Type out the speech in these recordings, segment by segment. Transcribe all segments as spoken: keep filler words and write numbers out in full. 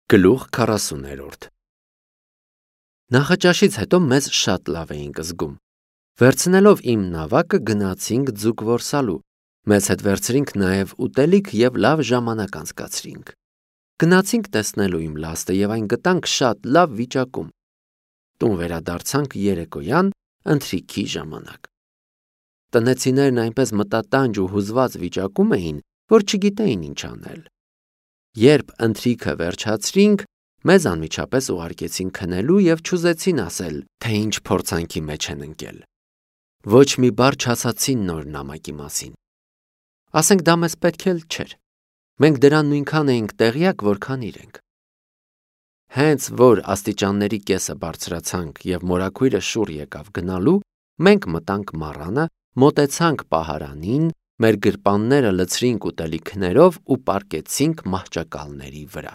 Գլուխ քառասուներորդ Նախաճաշից հետո մեզ շատ լավ էինք զգում։ Վերցնելով իմ նավակը գնացինք ձուկ որսալու, մեզ հետ վերցրինք նաև ուտելիք և լավ ժամանակ անցկացրինք։ Գնացինք տեսնելու իմ լաստը և այն գտանք շատ լավ վիճակում։ Տուն վերադարձանք երեկոյան ընթրիքի ժամանակ։ Տնեցիներն այնպես մտատանջ ու հուզված վիճակում էին, որ չգիտեին ինչ անել։ Երբ ընթրիքը վերջացրինք, մեզ անմիջապես ուղարկեցին քնելու և չուզեցին ասել, թե ինչ փորձանքի մեջ են ընկել։ Ոչ մի բառ չասացին նոր նամակի մասին։ Ասենք դա մեզ պետք էլ չէր։ Մենք դրան նույնքան էինք տեղյակ, որքան իրենք։ Հենց որ աստիճանների կեսը բարձրացանք և մորաքույրը շուռ եկավ գնալու, մենք մտանք մառանը, մոտեցանք պահարանին, մեր գրպանները լցրինք ուտելիքներով ու պառկեցինք մահճակալների վրա։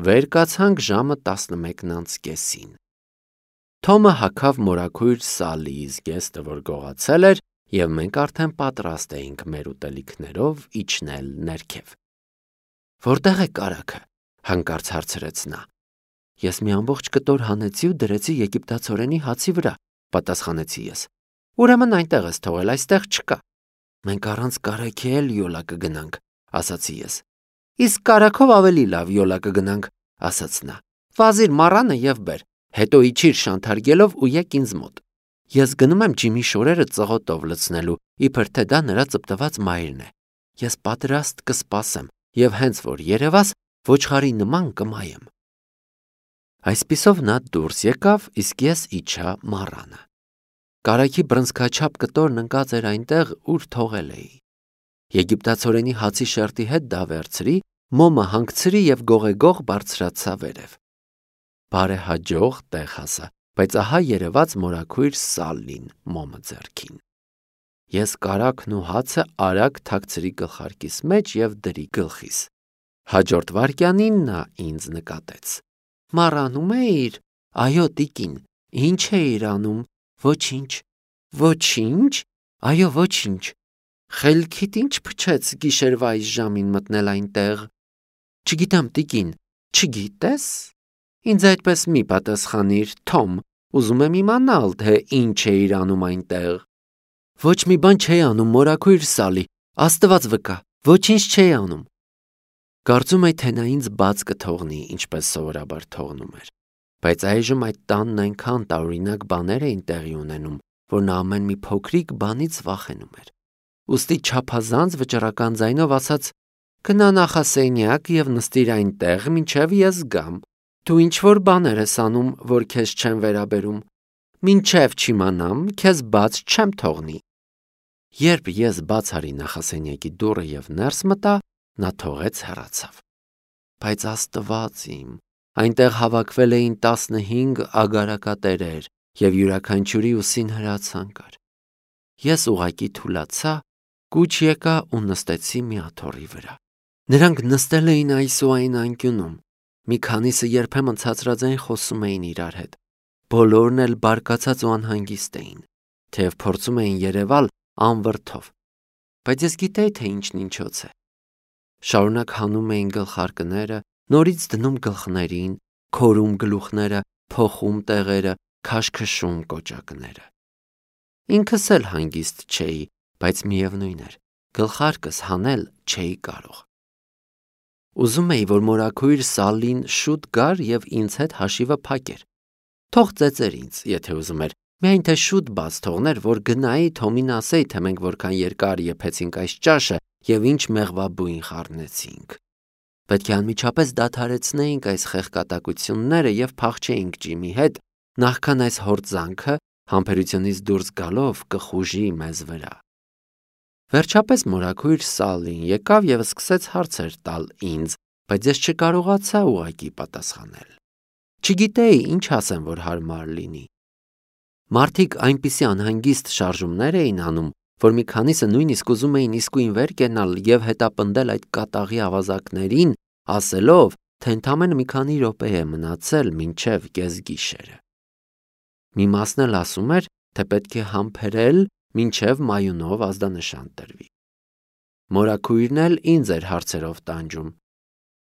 Վեր կացանք ժամը տասնմեկն անց կեսին։ Թոմը հագավ մորաքույր սալի զգեստը, որ գողացել էր, և մենք արդեն պատրաստ էինք մեր ուտելիքներով իջնել ներքև։ Որտե՞ղ է կարագը, հանկարծ հարցրեց նա։ Ես մի ամբողջ կտոր հանեցի ու դրեցի եգիպտացորենի հացի վրա, պատասխանեցի ես։ Ուրեմն այնտեղ ես թողել, այստեղ չկա։ Մենք առանց կարագի էլ յոլա կգնանք, ասացի ես։ Իսկ կարագով ավելի լավ յոլա կգնանք, ասաց նա։ Վազիր մառանը և բեր, հետո իջիր շանթարգելով ու եկ ինձ մոտ։ Ես գնում եմ ջիմի շորերը ծղոտով լցնելու, իբր թե դա նրա ծպտված մայրն է։ Ես պատրաստ կսպասեմ և հենց որ երևաս, ոչխարի նման կմայեմ։ Այսպիսով նա դուրս եկավ, իսկ ես իջա մառանը։ Կարագի բռնցքաչափ կտորն ընկած էր այնտեղ, ուր թողել էի։ Եգիպտացորենի հացի շերտի հետ դա վերցրի, մոմը հանգցրի և գողեգող բարձրացա վերև։ Բարեհաջող տեղ հասա, բայց ահա երևաց մորաքույր Սալլին մոմը ձեռքին։ Ես կարագն ու հացը արագ թաքցրի գլխարկիս մեջ և դրի գլխիս։ Հաջորդ վայրկյանին նա ինձ նկատեց։ Մառանում էիր։ Այո, տիկին։ Ինչ էիր անում։ Ոչինչ։ Ոչինչ։ Այո, ոչինչ։ Խելքիդ ինչ փչեց գիշերվա այս ժամին մտնել այնտեղ։ Չգիտեմ, տիկին։ Չգիտես։ Ինձ այդպես մի պատասխանիր, Թոմ, ուզում եմ իմանալ, թե ինչ էիր անում այնտեղ։ Ոչ մի բան չէի անում, մորաքույր Սալի, Աստված վկա, ոչինչ չէի անում։ Կարծում էի, թե նա ինձ բաց կթողնի, ինչպես սովորաբար թողնում էր, բայց այժմ այդ տանն այնքան տարօրինակ բաներ էին տեղի ունենում, որ նա ամեն մի փոքրիկ բանից վախենում էր։ Ուստի չափազանց վճռական ձայնով ասաց. Գնա նախասենյակ և նստիր այնտեղ, մինչև ես գամ։ Դու ինչ-որ բաներ ես անում, որ քեզ չեն վերաբերում։ Մինչև չիմանամ, քեզ բաց չեմ թողնի։ Երբ ես բաց արի նախասենյակի դուռը և ներս մտա, նա թողեց հեռացավ։ Բայց Աստված իմ, այնտեղ հավաքվել էին տասնհինգ ագարակատերեր և յուրաքանչյուրի ուսին հրացան կար։ Ես ուղղակի թուլացա, կուչ եկա ու նստեցի մի աթոռի վրա։ Նրանք նստել էին այս ու այն անկյունում։ Մի քանիսը երբեմն ցածրաձայն խոսում էին իրար հետ։ Բոլորն էլ բարկացած ու անհանգիստ էին, թեև փորձում էին երևալ անվրդով։ Բայց ես գիտեի, թե ինչն ինչոց է։ Շարունակ հանում էին գլխարկները, նորից դնում գլխներին, քորում գլուխները, փոխում տեղերը, քաշքշում կոճակները։ Ինքս էլ հանգիստ չէի, բայց միևնույն էր, գլխարկս հանել չէի կարող։ Ուզում էի, որ մորաքույր Սալլին շուտ գար և ինձ հետ հաշիվը փակեր։ Թող ծեծեր ինձ, եթե ուզում էր, միայն թե շուտ բաց թողներ, որ գնայի Թոմին ասեի, թե մենք որքան երկար եփեցինք այս ճաշը և ինչ մեղվաբույն խառնեցինք։ Պետք է անմիջապես դադարեցնեինք այս խեղկատակությունները և փախչեինք ջիմի հետ, նախքան այս հորձանքը համբերությունից դուրս գալով կխուժի մեզ վրա։ Վերջապես մորաքույր Սալլին եկավ և սկսեց հարցեր տալ ինձ, բայց ես չկարողացա ուղղակի պատասխանել։ Չգիտեի ինչ ասեմ, որ հարմար լինի։ Մարդիկ այնպիսի անհանգիստ շարժումներ էին անում, որ մի քանիսը նույնիսկ ուզում էին իսկույն վեր կենալ և հետապնդել այդ կատաղի ավազակներին, ասելով, թե ընդամենը մի քանի րոպե է մնացել մինչև կեսգիշերը։ Մի մասն էլ ասում էր, թե պետք է համբերել, մինչև մայունով ազդանշան տրվի։ Մորաքույրն էլ ինձ էր հարցերով տանջում։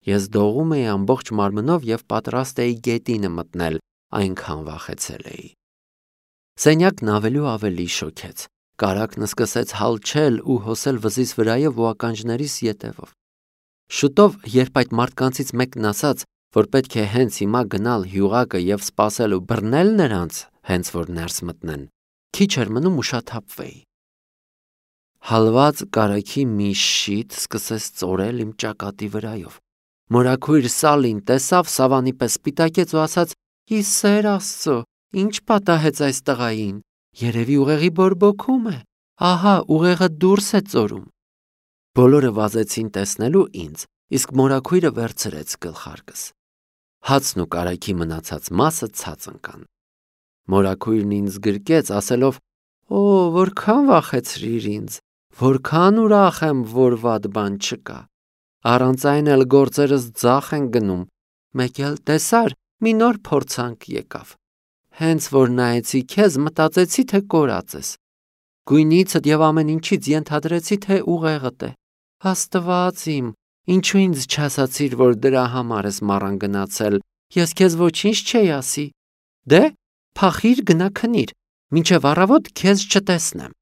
Ես դողում էի ամբողջ մարմնով և պատրաստ էի գետինը մտնել, այնքան վախեցել էի։ Սենյակն ավելի ու ավելի շոգեց։ Կարագն սկսեց հալչել ու հոսել վզիս վրայով ու ականջներիս ետևով։ Շուտով, երբ այդ մարդկանցից մեկն ասաց, որ պետք է հենց հիմա գնալ հյուղակը և սպասել ու բռնել նրանց, հենց որ ներս մտնեն, քիչ էր մնում ուշաթափվեի։ Հալված կարագի մի շիթ սկսեց ծորել իմ ճակատի վրայով։ Մորաքույր Սալին տեսավ, սավանի պես սպիտակեց ու ասաց. «Ի սեր Աստծո, ինչ պատահեց այս տղային, երևի ուղեղի բորբոքում է, ահա ուղեղը դուրս է ծորում»։ Բոլորը վազեցին տեսնելու ինձ, իսկ մորաքույրը վերցրեց գլխարկս։ Հացն ու կարագի մնացած մասը ցած ընկան։ Մորաքույրն ինձ գրկեց, ասելով. «Օ, որքան վախեցրիր ինձ, որքան ուրախ եմ, որ վատ բան չկա։ Առանց այն էլ գործերս ձախ են գնում, մեկ էլ տեսար, մի նոր փորձանք եկավ։ Հենց որ նայեցի քեզ, մտածեցի, թե կորած ես։ Գույնիցդ և ամեն ինչից ենթադրեցի, թե ուղեղդ է։ Աստված իմ, ինչու ինձ չասացիր, որ դրա համար ես մառան գնացել, ես քեզ ոչինչ չէի ասի։ Դե, փախիր գնա քնիր, մինչև առավոտ քեզ չտեսնեմ»։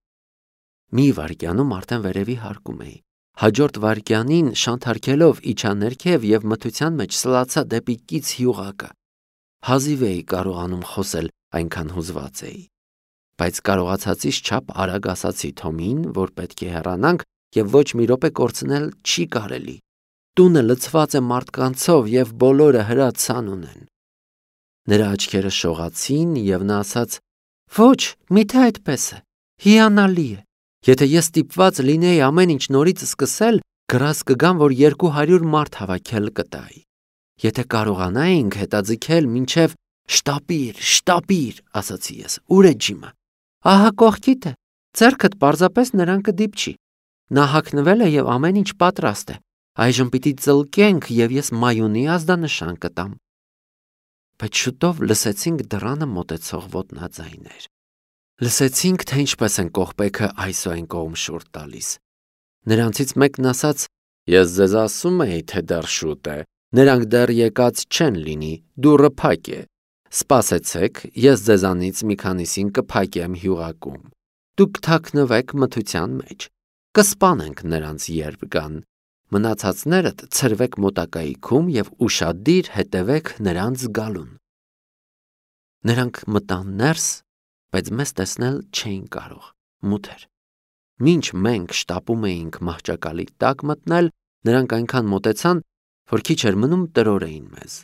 Մի վայրկյանում արդեն վերևի հարկում էի։ Հաջորդ վայրկյանին շանթարքելով իջա ներքև և մթության մեջ սլացա դեպի կից հյուղակը։ Հազիվ էի կարողանում խոսել, այնքան հուզված էի։ Բայց կարողացածից չափ արագ ասացի Թոմին, որ պետք է հեռանանք և ոչ մի րոպե կորցնել չի կարելի։ Տունը լցված է մարդկանցով և բոլորը հրացան ունեն։ Նրա աչքերը շողացին և նա ասաց. «Ոչ, միթե այդպես է, հիանալի է։ Եթե ես ստիպված լինեի ամեն ինչ նորից սկսել, գրազ կգամ, որ երկու հարյուր մարդ հավաքել կտայի։ Եթե կարողանայինք հետաձգել մինչև շտապիր, շտապիր, ասացի ես, ուր է Ջիմը։ Ահա կողքիդ է, ձեռքդ պարզապես նրան կդիպչի։ Նա հագնվել է և ամեն ինչ պատրաստ է։ Այժմ պիտի ծլկենք և ես մայունի ազդանշան կտամ»։ Բայց շուտով լսեցինք դռանը մոտեցող ոտնաձայներ։ Լսեցինք, թե ինչպես են կողպեքը այս ու այն կողմ շուռ տալիս։ Նրանցից մեկն ասաց. «Ես ձեզ ասում էի, թե դեռ շուտ է, նրանք դեռ եկած չեն լինի, դուռը փակ է։ Սպասեցեք, ես ձեզանից մի քանիսին կփակեմ հյուղակում։ Դուք թաքնվեք մթության մեջ, կսպանենք նրանց երբ գան։ Մնացածներդ ցրվեք մոտակայքում և ուշադիր հետևեք նրանց գալուն»։ Նրանք մտան ներս, բայց մեզ տեսնել չէին կարող, մութ էր։ Մինչ մենք շտապում էինք մահճակալի տակ մտնել, նրանք այնքան մոտեցան, որ քիչ էր մնում տրորեին մեզ։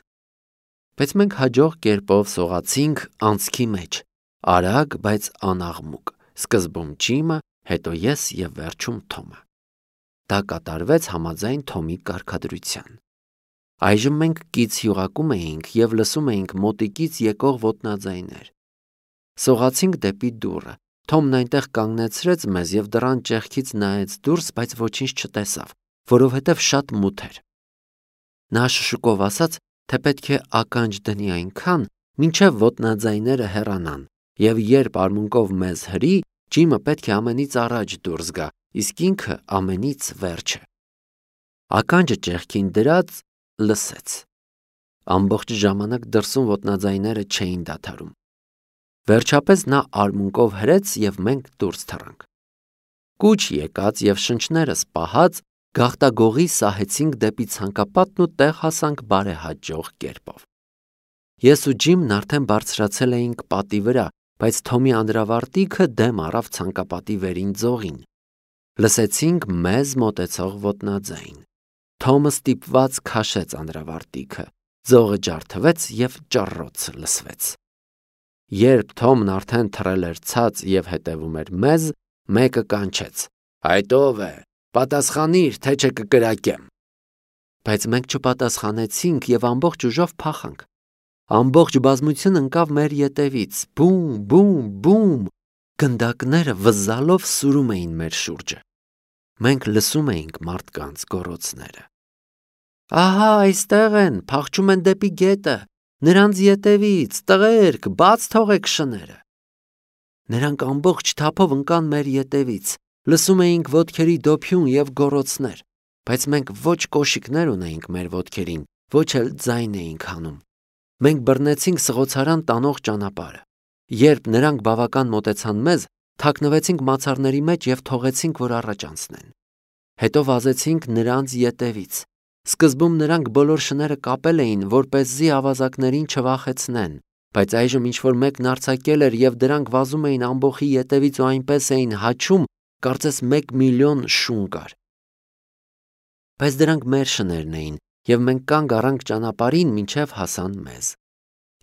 Բայց մենք հաջող կերպով սողացինք անցքի մեջ, արագ, բայց անաղմուկ, սկզբում Ջիմը, հետո ես և վերջում Թոմը։ Դա կատարվեց համաձայն Թոմի կարգադրության։ Այժմ մենք կից հյուղակում էինք և լսում էինք մոտիկից եկող ոտնաձայներ։ Սողացինք դեպի դուռը։ Թոմն այնտեղ կանգնեցրեց մեզ և դռան ճեղքից նայեց դուրս, բայց ոչինչ չտեսավ, որովհետև շատ մութ էր։ Նա շշուկով ասաց, թե պետք է ականջ դնի այնքան, մինչև ոտնաձայները հեռանան, և երբ արմունկով մեզ հրի, Ջիմը պետք է ամենից առաջ դուրս գա, իսկ ինքը ամենից վերջը։ Ականջը ճեղքին դրած լսեց։ Ամբողջ ժամանակ դրսում ոտնաձայները չէին դադարում։ Վերջապես նա արմունկով հրեց և մենք դուրս թռանք։ Կուչ եկած և շնչներս պահած գաղտագողի սահեցինք դեպի ցանկապատն ու տեղ հասանք բարեհաջող կերպով։ Ես ու Ջիմն արդեն բարձրացել էինք պատի վրա, բայց Թոմի անդրավարտիքը դեմ առավ ցանկապատի վերին ձողին։ Լսեցինք մեզ մոտեցող ոտնաձայն։ Թոմը ստիպված քաշեց անդրավարտիքը, ձողը ջարդվեց և ճռռոց լսվեց։ Երբ Թոմն արդեն թռել էր ցած և հետևում էր մեզ, մեկը կանչեց. «Այդ ո՞վ է, պատասխանիր, թե չէ կկրակեմ»։ Բայց մենք չպատասխանեցինք և ամբողջ ուժով փախանք։ Ամբողջ բազմություն ընկավ մեր ետևից, բում, բում, բում, գնդակները վզզալով սուրում էին մեր շուրջը։ Մենք լսում էինք մարդկանց գոռոցները։ «Ահա այստեղ են, փախչում են դեպի գետը, նրանց ետևից, տղերք, բաց թողեք շները»։ Նրանք ամբողջ թափով ընկան մեր ետևից, լսում էինք ոտքերի դոփյուն և գոռոցներ։ բայց մենք ոչ կոշիկներ ունեինք մեր ոտքերին, ոչ էլ ձայն էինք հանում։ Մենք բռնեցինք սղոցարան տանող ճանապարհը։ Երբ նրանք բավական մոտեցան մեզ, թաքնվեցինք մացառների մեջ և թողեցինք, որ առաջ անցնեն։ Հետո վազեցինք նրանց ետևից։ Սկզբում նրանք բոլոր շները կապել էին, որպեսզի ավազակներին չվախեցնեն, բայց այժմ ինչ-որ մեկն արձակել էր և դրանք վազում էին ամբոխի ետևից ու այնպես էին հաչում, կարծես մեկ միլիոն շուն կար։ Բայց դրանք մեր շներն էին, և մենք կանգ առանք ճանապարհին, մինչև հասան մեզ։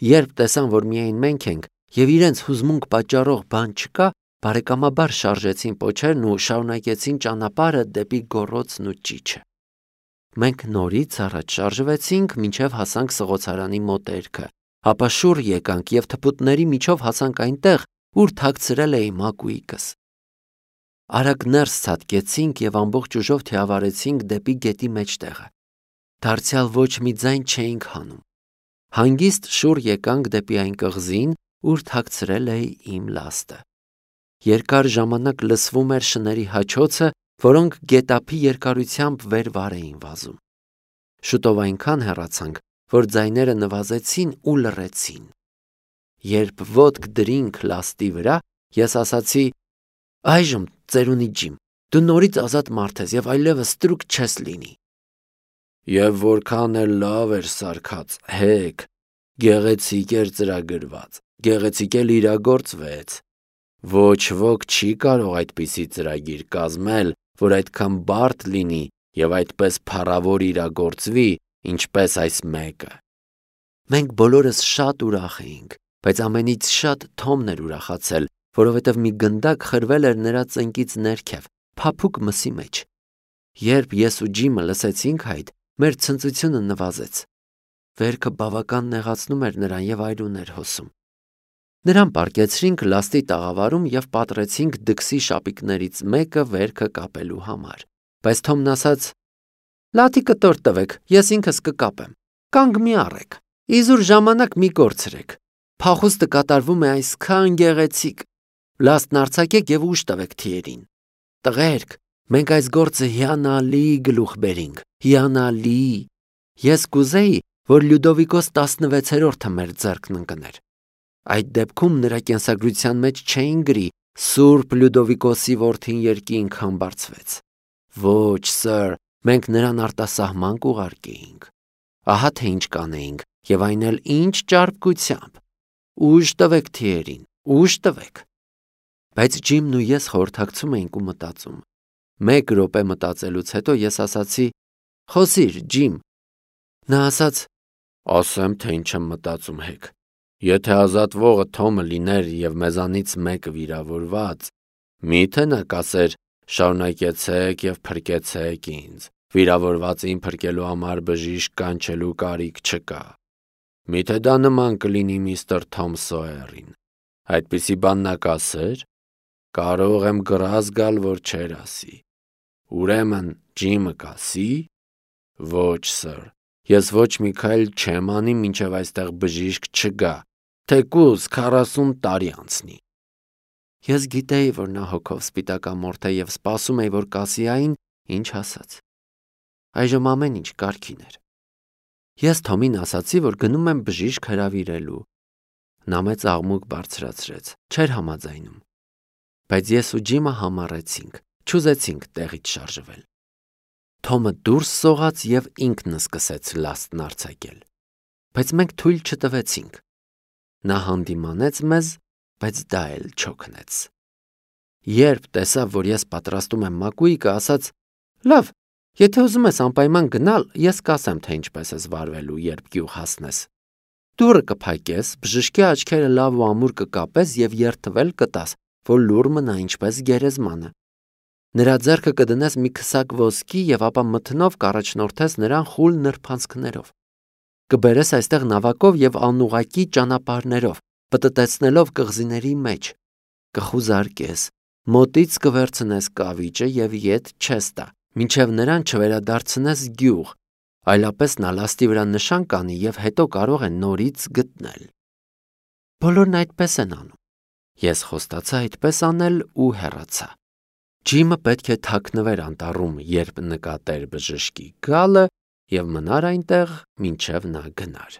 Երբ տեսան, որ միայն մենք ենք, և իրենց հուզմունք պատճառող բան չկա, բարեկամաբար շարժեցին պոչերն ու շարունակեցին ճանապարհը դեպի գոռոցն ու ճիչը։ Մենք նորից առաջ շարժվեցինք, մինչև հասանք սղոցարանի մոտերքը, ապա շուռ եկանք և թփուտների միջով հասանք այնտեղ, ուր թաքցրել էի մակույկս։ Արագ ներս ցատկեցինք և ամբողջ ուժով թիավարեցինք դեպի գետի մեջտեղը։ Դարձյալ ոչ մի ձայն չէինք հանում։ Հանգիստ շուռ եկանք դեպի այն կղզին, ուր թաքցրել էի իմ լաստը։ Երկար ժամանակ լսվում էր շների հաչոցը, որոնք գետափի երկարությամբ վեր վար էին վազում։ Շուտով այնքան հեռացանք, որ ձայները նվազեցին ու լռեցին։ Երբ ոտք դրինք լաստի վրա, ես ասացի. «Այժմ, ծերունի Ջիմ, դու նորից ազատ մարդ ես և այլևս ստրուկ չես լինի»։ Եվ որքան էլ լավ էր սարքած, հեք, գեղեցիկ էր ծրագրված, գեղեցիկ էլ իրագործվեց։ Ոչ ոք չի կարող այդպիսի ծրագիր կազմել, որ այդքան բարդ լինի և այդպես փառավոր իրագործվի, ինչպես այս մեկը։ Մենք բոլորս շատ ուրախ էինք, բայց ամենից շատ Թոմն էր ուրախացել, որովհետև մի գնդակ խրվել էր նրա ծնկից ներքև, փափուկ մսի մեջ։ Երբ ես ու Ջիմը լսեցինք այդ, մեր ցնծությունը նվազեց։ Վերքը բավական նեղացնում էր նրան և այրուն էր հոսում։ Նրան պառկեցրինք լաստի տաղավարում և պատռեցինք դքսի շապիկներից մեկը վերքը կապելու համար։ Բայց Թոմն ասաց. «Լաթի կտոր տվեք, ես ինքս կկապեմ։ Կանգ մի առեք, իզուր ժամանակ մի կորցրեք։ Փախուստը կատարվում է այսքան գեղեցիկ։ Լաստն արձակեք և ուժ տվեք թիերին։ Տղերք, մենք այս գործը հիանալի գլուխ բերինք, հիանալի։ Ես կուզեի, որ Լյուդովիկոս տասնվեցերորդը մեր ձեռքն ընկներ։ Այդ դեպքում նրա կենսագրության մեջ չէին գրի Սուրբ Լյուդովիկոսի որդին երկինք համբարձվեց։ Ոչ, սըր, մենք նրան արտասահման կուղարկեինք։ Ահա թե ինչ կանեինք, և այն էլ ինչ ճարպկությամբ։ Ուժ տվեք թիերին, ուժ տվեք։ Բայց Ջիմն ու ես խորհրդակցում էինք ու մտածում։ Մեկ րոպե մտածելուց հետո ես ասացի. «Խոսիր, Ջիմ»։ Նա ասաց. «Ասեմ, թե ինչ եմ մտածում, հեք։ Եթե ազատվողը Թոմը լիներ և մեզանից մեկը վիրավորված, մի՞թե նա կասեր. շարունակեցեք և փրկեցեք ինձ, վիրավորվածին փրկելու համար բժիշկ կանչելու կարիք չկա։ Մի՞թե դա նման կլինի միստր Թոմ Սոյերին։ Այդպիսի բան նա կասեր։ Կարող եմ գրազ գալ, որ չէր ասի։ Ուրեմն Ջիմը կասի. ոչ, սըր, ես ոչ մի քայլ չեմ անի, մինչև այստեղ բժիշկ չգա, թեկուզ քառասուն տարի անցնի»։ Ես գիտեի, որ նա հոգով սպիտակամորթ է և սպասում էի, որ կասի այն, ինչ ասաց։ Այժմ ամեն ինչ կարգին էր։ Ես Թոմին ասացի, որ գնում եմ բժիշկ հրավիրելու։ Նա մեծ աղմուկ բարձրացրեց, չէր համաձայնում։ Բայց ես ու Ջիմը համառեցինք, չուզեցինք տեղից շարժվել։ Թոմը դուրս սողաց և ինքն սկսեց լաստն արձակել։ Բայց մենք թույլ չտվեցինք։ Նա հանդիմանեց մեզ, բայց դա էլ չօգնեց։ Երբ տեսավ, որ ես պատրաստում եմ մակույկը, ասաց. «Լավ, եթե ուզում ես անպայման գնալ, ես կասեմ, թե ինչպես ես վարվելու, երբ գյուղ հասնես։ Դուռը կփակես, բժշկի աչքերը լավ ու ամուր կկապես և երդվել կտաս, որ լուռ մնա ինչպես գերեզմանը։ Նրա ձեռքը կդնես մի քսակ ոսկի և ապա մթնով կառաջնորդես նրան խուլ նրբանցքներով։ Կբերես այստեղ նավակով և անուղղակի ճանապարհներով, պտտեցնելով կղզիների մեջ։ Կխուզարկես, մոտից կվերցնես կավիճը և ետ չես տա, մինչև նրան չվերադարձնես գյուղ, այլապես նա լաստի վրա նշան կանի և հետո կարող է նորից գտնել»։ Բոլորն այդպես են անում։ Ես խոստացա այդպես անել ու հեռացա։ Ջիմը պետք է թաքնվեր անտառում, երբ նկատեր բժշկի գալը, և մնար այնտեղ, մինչև նա գնար։